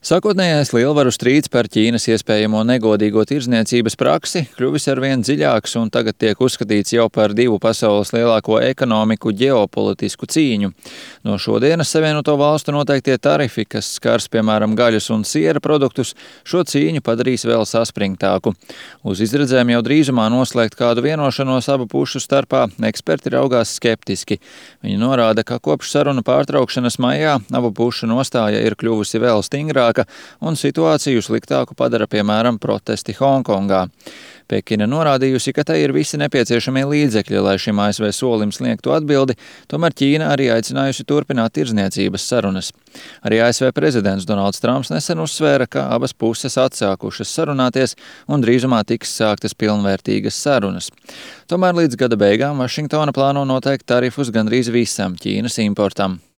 Sākotnējais lielvaru strīds par Ķīnas iespējamo negodīgo tirdzniecības praksi kļuvis arvien dziļāks un tagad tiek uzskatīts jau par divu pasaules lielāko ekonomiku ģeopolitisku cīņu. No šodienas Savienoto Valstu noteiktie tarifi, kas skars piemēram gaļas un siera produktus, šo cīņu padarīs vēl saspringtāku. Uz izredzēm jau drīzumā noslēgt kādu vienošanos abu pušu starpā eksperti raugās skeptiski. Viņi norāda, ka kopš sarunu pārtraukšanas maijā abu pušu nostāja ir kļuvusi vēl stingrāka un situāciju sliktāku padara, piemēram, protesti Honkongā. Pekina norādījusi, ka tai ir visi nepieciešamie līdzekļi, lai šim ASV solim sniegtu atbildi, tomēr Ķīna arī aicinājusi turpināt tirdzniecības sarunas. Arī ASV prezidents Donalds Trumps nesen uzsvēra, ka abas puses atsākušas sarunāties un drīzumā tiks sāktas pilnvērtīgas sarunas. Tomēr līdz gada beigām Vašingtona plāno noteikt tarifus gandrīz visam Ķīnas importam.